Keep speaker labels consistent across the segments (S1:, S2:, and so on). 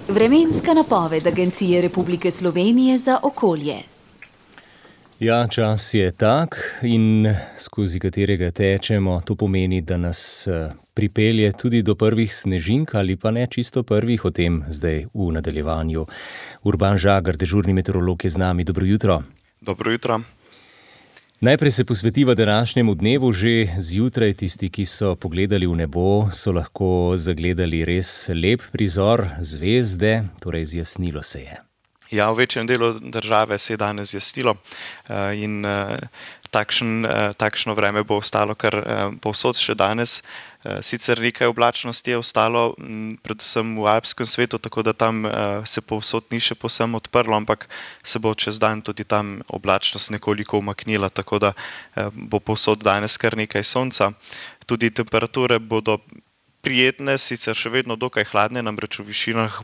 S1: Vremenska napoved Agencije Republike Slovenije za okolje.
S2: Ja, čas je tak in skozi katerega tečemo, to pomeni, da nas pripelje tudi do prvih snežink ali pa ne čisto prvih, o tem zdaj v nadaljevanju. Urban Žagar, dežurni meteorolog, je z nami. Dobro jutro.
S3: Dobro jutro.
S2: Najprej se posvetiva današnjemu dnevu. Že zjutraj tisti, ki so pogledali v nebo, so lahko zagledali res lep prizor zvezde, torej zjasnilo se je.
S3: Ja, v večjem delu države se je danes zjasnilo in takšno vreme bo ostalo kar povsod še danes. Sicer nekaj oblačnosti je ostalo, predvsem v alpskem svetu, tako da tam se povsod ni še povsem odprlo, ampak se bo čez dan tudi tam oblačnost nekoliko umaknila, tako da bo povsod danes kar nekaj sonca. Tudi temperature bodo prijetne, sicer še vedno dokaj hladne, namreč v višinah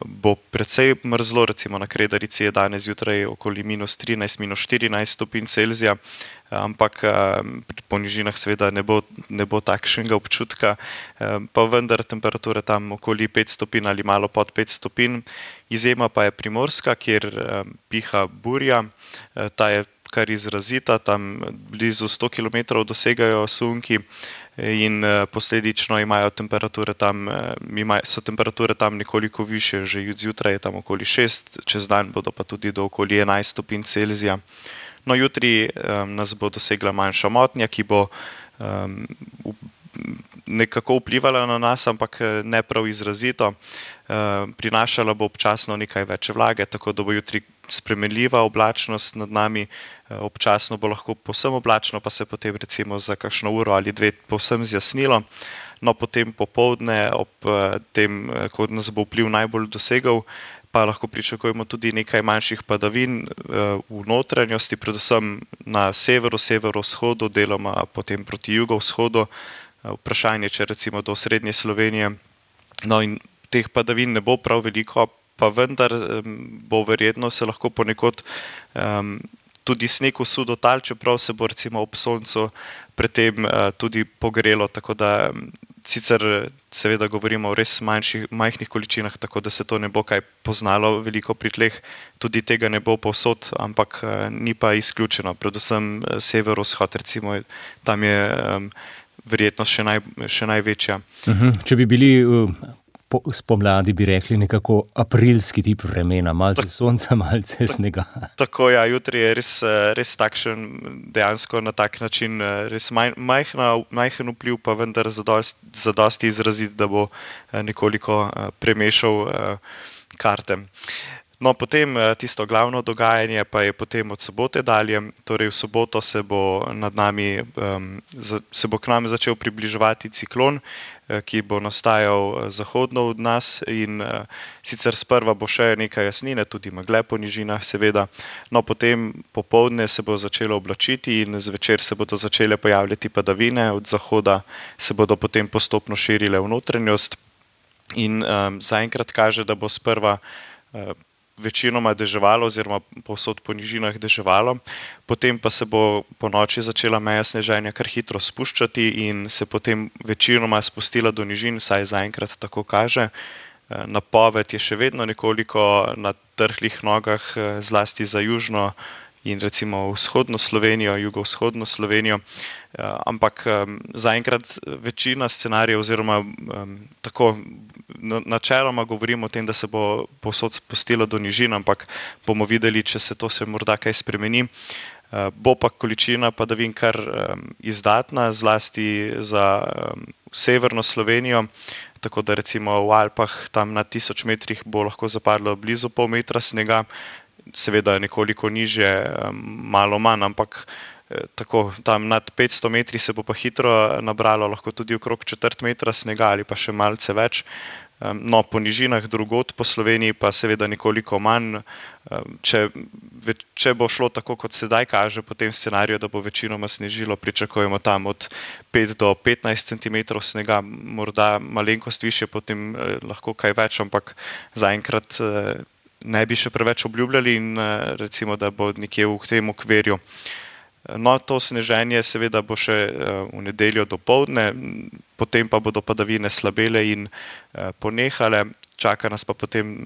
S3: bo precej mrzlo, recimo na Kredarici je danes zjutraj okoli -13, -14 stopinj Celzija, ampak po nižinah seveda ne bo takšnega občutka, pa vendar temperature tam okoli 5 stopinj ali malo pod 5 stopinj. Izjema pa je Primorska, kjer piha burja, ta je kar izrazita, tam blizu 100 km dosegajo sunki in posledično so temperature tam nekoliko višje, že zjutraj je tam okoli 6, čez dan bodo pa tudi do okoli 11 stopinj Celzija. No, jutri nas bo dosegla manjša motnja, ki bo nekako vplivala na nas, ampak ne prav izrazito. Prinašala bo občasno nekaj več vlage, tako da bo jutri spremenljiva oblačnost nad nami, občasno bo lahko povsem oblačno, pa se potem recimo za kakšno uro ali dve povsem zjasnilo. No, potem popoldne, ob tem, ko nas bo vpliv najbolj dosegel, pa lahko pričakujemo tudi nekaj manjših padavin v notranjosti, predvsem na severu, severovzhodu, deloma potem proti jugovzhodu. Vprašanje, če recimo do srednje Slovenije. No, in teh padavin ne bo prav veliko, pa vendar bo verjetno se lahko ponekod tudi sneg usul do tal, čeprav se bo recimo ob soncu predtem tudi pogrelo, tako da sicer seveda govorimo o res majhnih količinah, tako da se to ne bo kaj poznalo veliko pri tleh, tudi tega ne bo povsod, ampak ni pa izključeno, predvsem severovzhod, recimo tam je verjetnost še največja.
S2: Če bi bili spomladi, bi rekli nekako aprilski tip vremena, malce sonca, malce snega.
S3: Tako, ja, jutri je res takšen, dejansko na tak način, res majhen vpliv, pa vendar zadosti izrazit, da bo nekoliko premešal karte. No, potem tisto glavno dogajanje pa je potem od sobote dalje, torej v soboto se bo k nam začel približevati ciklon, ki bo nastajal zahodno od nas in sicer sprva bo še nekaj jasnine, tudi megle po nižinah seveda, no potem popoldne se bo začelo oblačiti in zvečer se bodo začele pojavljati padavine, od zahoda se bodo potem postopno širile v notranjost in zaenkrat kaže, da bo sprva večinoma deževalo oziroma povsod po nižinah deževalo, potem pa se bo po noči začela meja sneženja kar hitro spuščati in se potem večinoma spustila do nižin, saj zaenkrat tako kaže. Napoved je še vedno nekoliko na trhlih nogah, zlasti za južno in recimo vzhodno Slovenijo, jugovzhodno Slovenijo, ampak zaenkrat večina scenarijev oziroma tako načeloma govorimo o tem, da se bo povsod spustilo do nižin, ampak bomo videli, če se to morda kaj spremeni. Bo pa količina padavin kar izdatna, zlasti za severno Slovenijo, tako da recimo v Alpah tam na 1000 metrih bo lahko zapadlo blizu pol metra snega, seveda nekoliko nižje, malo manj, ampak tako tam nad 500 metri se bo pa hitro nabralo, lahko tudi okrog 1/4 metra snega ali pa še malce več. No, po nižinah drugod po Sloveniji pa seveda nekoliko manj. Če bo šlo tako, kot sedaj kaže po tem scenariju, da bo večinoma snežilo, pričakujemo tam od 5 do 15 centimetrov snega, morda malenkost višje, potem lahko kaj več, ampak zaenkrat ne bi še preveč obljubljali in recimo, da bo nekje v tem okvirju. No, to sneženje seveda bo še v nedeljo dopoldne, potem pa bodo padavine slabele in ponehale. Čaka nas pa potem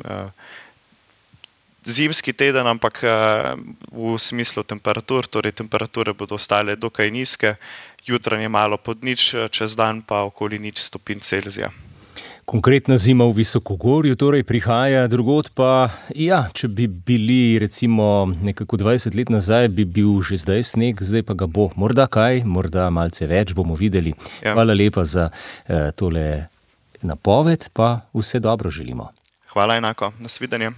S3: zimski teden, ampak v smislu temperatur, torej temperature bodo ostale dokaj nizke, jutranje malo pod nič, čez dan pa okoli 0 stopinj Celzija.
S2: Konkretna zima v visokogorju torej prihaja, drugod pa, ja, če bi bili recimo nekako 20 let nazaj, bi bil že zdaj sneg, zdaj pa ga bo. Morda kaj, morda malce več, bomo videli. Ja. Hvala lepa za tole napoved, pa vse dobro želimo.
S3: Hvala enako, nasvidenje.